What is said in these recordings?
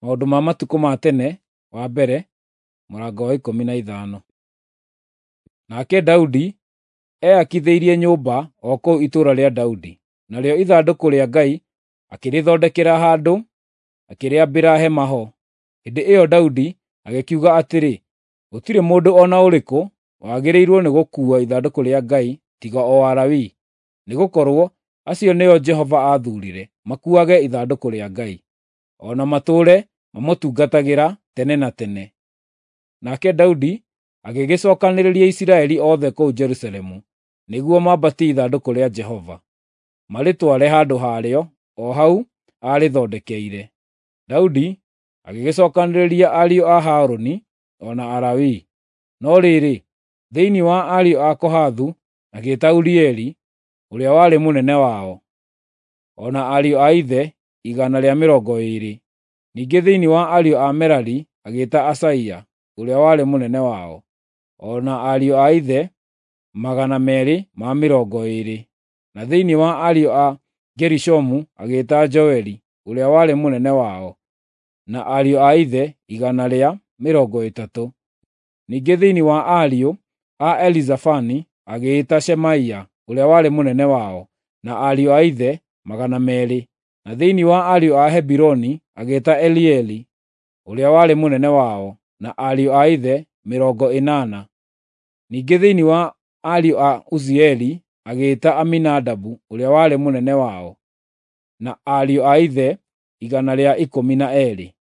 Maũndũ ma Matukũ ma Tene wa mbere, mũrango wa 15. Nake Daudi eakithĩirie nyũmba o kũu itũũra rĩa Daudi, narĩo ithandũkũ rĩa Ngai akĩrĩthondekera handũ, akĩrĩambĩra hema ho. Hĩndĩ ĩyo Daudi agĩkiuga atĩrĩ, “Gũtirĩ mũndũ o na ũrĩkũ wagĩrĩirwo nĩ gũkuua ithandũkũ rĩa Ngai tiga o Alawii, nĩgũkorwo acio nĩo Jehova aathurire makuuage ithandũkũ rĩa Ngai, o na matũũre mamũtungatagĩra tene na tene.” Nake Daudi agĩgĩcookanĩrĩria Isiraeli othe kũu Jerusalemu nĩguo mambatie ithandũkũ rĩa Jehova, marĩtware handũ harĩo o hau aarĩthondekeire. Daudi agĩgĩcookanĩrĩria ariũ a Harũni o na Alawii. No rĩrĩ, thĩinĩ wa ariũ a Kohathu agĩĩta Urieli, ũrĩa warĩ mũnene wao, o na ariũ a ithe 120. Ningĩ thĩinĩ wa ariũ a Merari agĩĩta Asaia, ũrĩa warĩ mũnene wao, o na ariũ a ithe 220. Na thĩinĩ wa ariũ a Gerishomu agĩĩta Joeli, ũrĩa warĩ mũnene wao, na ariũ a ithe 130. Ningĩ thĩinĩ wa ariũ a Elizafani agĩĩta Shemaia, ũrĩa warĩ mũnene wao, na ariũ a ithe 200. Na thĩinĩ wa ariũ a Hebironi agĩĩta Elieli, ũrĩa warĩ mũnene wao, na ariũ a ithe 80. Ningĩ thĩinĩ wa ariũ a Uzieli agĩĩta Aminadabu, ũrĩa warĩ mũnene wao, na ariũ a ithe 112.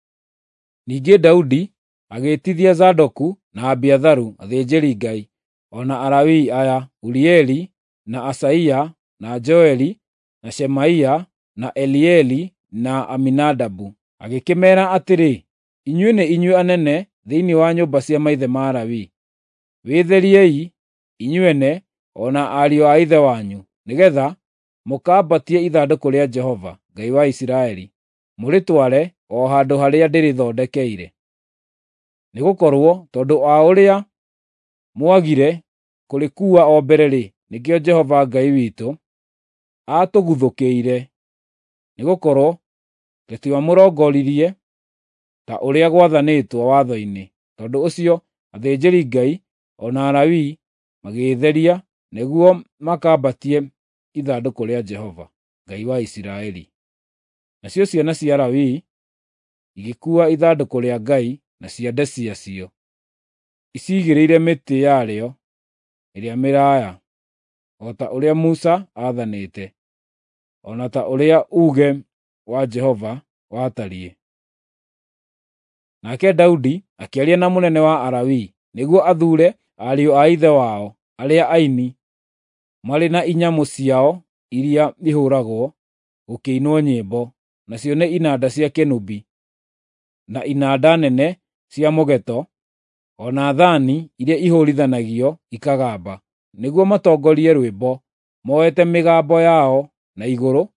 Ningĩ Daudi agĩĩtithia Zadoku na Abiatharu athĩnjĩri-Ngai, o na Alawii aya: Urieli, na Asaia, na Joeli, na Shemaia, na Elieli, na Aminadabu. Agĩkĩmeera atĩrĩ, “Inyuĩ nĩ inyuĩ anene thĩinĩ wa nyũmba cia maithe ma Lawi. Wĩtheriei inyuene o na ariũ a ithe wanyu, nĩgeetha mũkaambatie ithandũkũ rĩa Jehova, Ngai wa Isiraeli, mũrĩtware o handũ harĩa ndĩrĩthondekeire. Nĩgũkorwo tondũ wa ũrĩa mwagire kũrĩkuua o mbere-rĩ, nĩkĩo Jehova Ngai witũ aatũguthũkĩire, nĩgũkorwo tũtiamũrongoririe ta ũrĩa gwathanĩtwo watho-inĩ.” Tondũ ũcio athĩnjĩri-Ngai o na Alawii magĩĩtheria nĩguo makambatie ithandũkũ rĩa Jehova, Ngai wa Isiraeli. Nacio ciana cia Lawi igĩkuua ithandũkũ rĩa Ngai na ciande ciacio, icigĩrĩire mĩtĩ yarĩo ĩrĩa mĩraaya, o ta ũrĩa Musa aathanĩte, o na ta ũrĩa uuge wa Jehova watariĩ. Nake Daudi akĩaria na mũnene wa Alawii nĩguo athuure ariũ a ithe wao arĩa aini marĩ na inyamũ ciao iria ihũũragwo gũkĩinwo nyĩmbo, nacio nĩ inanda cia kĩnũbi, na inanda nene cia mũgeeto, o na thaani iria ihũũrithanagio ikagamba, nĩguo matongorie rwĩmbo, moete mĩgambo yao na igũrũ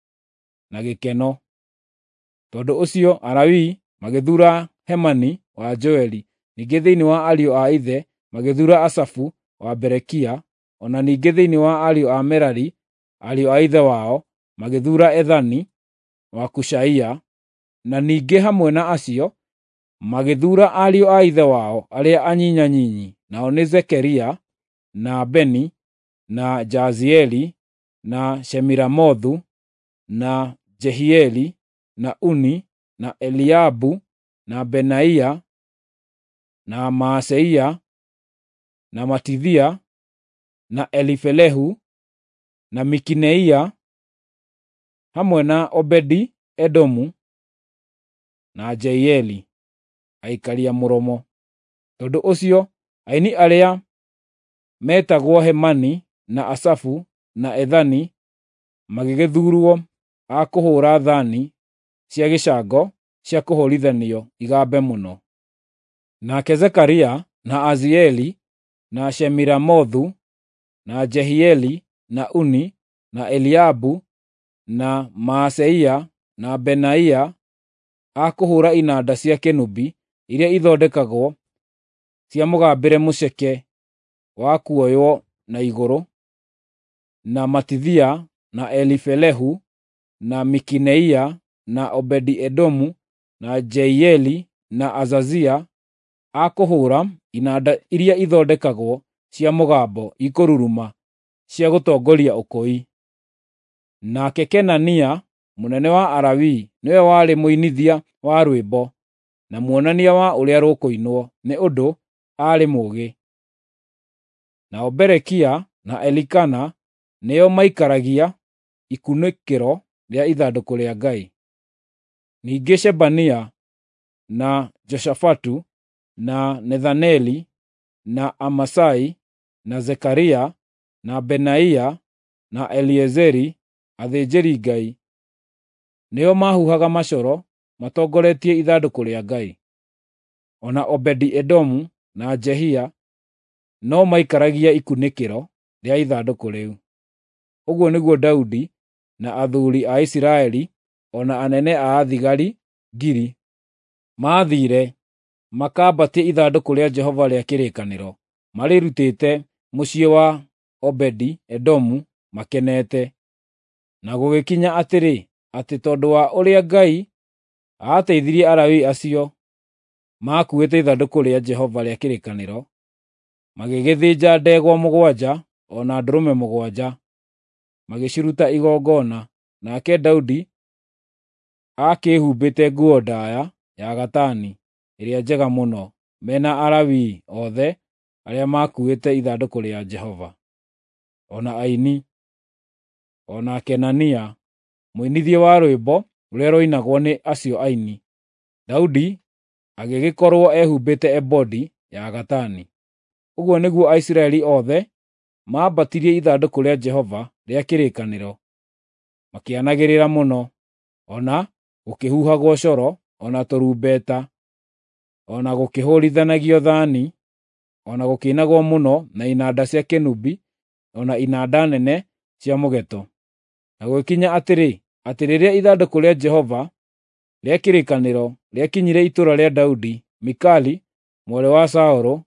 na gĩkeno. Tondũ ũcio Alawii magĩthuura Hemani wa Joeli, ningĩ thĩinĩ wa ariũ a ithe magĩthuura Asafu wa Berekia, o na ningĩ thĩinĩ wa ariũ a Merari, ariũ a ithe wao, magĩthuura Ethani wa Kushaia, na ningĩ hamwe na acio magĩthuura ariũ a ithe wao arĩa anyinyanyinyi, nao nĩ Zekaria, na Beni, na Jaazieli, na Shemiramothu, na Jehieli, na Uni, na Eliabu, na Benaia, na Maaseia, na Matithia, na Elifelehu, na Mikineia, hamwe na Obedi-Edomu na Jeieli, aikaria mũromo. Tondũ ũcio aini arĩa meetagwo Hemani na Asafu na Ethani magĩgĩthuurwo a kũhũũra thaani cia gĩcango cia kũhũũrithanio igambe mũno. Nake Zekaria, na Azieli, na Shemiramothu, na Jehieli, na Uni, na Eliabu, na Maaseia, na Benaia a kũhũũra inanda cia kĩnũbi iria ithondekagwo cia mũgambĩre mũceke wa kuoywo na igũrũ, na Matithia, na Elifelehu, na Mikineia, na Obedi-Edomu, na Jeieli na Azazia a kũhũũra inanda iria ithondekagwo cia mũgambo ikũruruma cia gũtongoria ũkũi. Nake Kenania, mũnene wa Alawii, nĩwe warĩ mũinithia wa rwĩmbo na muonania wa ũrĩa rũkũinwo, nĩ ũndũ aarĩ mũũgĩ. Nao Berekia na Elikana nĩo maikaragia ikunĩkĩro rĩa ithandũkũ rĩa Ngai. Ningĩ Shebania na Joshafatu na Nethaneli na Amasai na Zekaria na Benaia na Eliezeri athĩnjĩri-Ngai nĩo maahuhaga macoro matongoretie ithandũkũ rĩa Ngai. O na Obedi-Edomu na Jehia no maikaragia ikunĩkĩro rĩa ithandũkũ rĩu. Ũguo nĩguo Daudi na athuuri a Isiraeli o na anene a thigari 1,000 maathiire makambatie ithandũkũ rĩa Jehova rĩa kĩrĩkanĩro, marĩrutĩte mũciĩ wa Obedi-Edomu makenete. Na gũgĩkinya atĩrĩ, atĩ tondũ wa ũrĩa Ngai aateithirie Alawii acio maakuuĩte ithandũkũ rĩa Jehova rĩa kĩrĩkanĩro, magĩgĩthĩnja ndegwa 7 o na ndũrũme 7, magĩciruta igongona. Nake Daudi aakĩĩhumbĩte nguo ndaaya ya gatani ĩrĩa njega mũno, me na Alawii othe arĩa maakuuĩte ithandũkũ rĩa Jehova, o na aini, o na Kenania, mũinithia wa rwĩmbo rũrĩa rwainagwo nĩ acio aini. Daudi agĩgĩkorwo ehumbĩte ebodi ya gatani. Ũguo nĩguo Aisiraeli othe maambatirie ithandũkũ rĩa Jehova rĩa kĩrĩkanĩro, makĩanagĩrĩra mũno, o na gũkĩhuhagwo coro, o na tũrumbeta, o na gũkĩhũũrithanagio thaani, o na gũkĩinagwo mũno na inanda cia kĩnũbi, o na inanda nene cia mũgeeto. Na gũgĩkinya atĩrĩ, atĩ rĩrĩa ithandũkũ rĩa Jehova rĩa kĩrĩkanĩro rĩakinyire itũũra rĩa Daudi, Mikali, mwarĩ wa Saũlũ,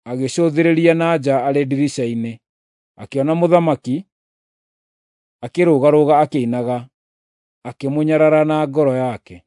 agĩcũthĩrĩria na nja arĩ ndirica-inĩ, akĩona mũthamaki akĩrũgarũga akĩinaga, akĩmũnyarara na ngoro yake.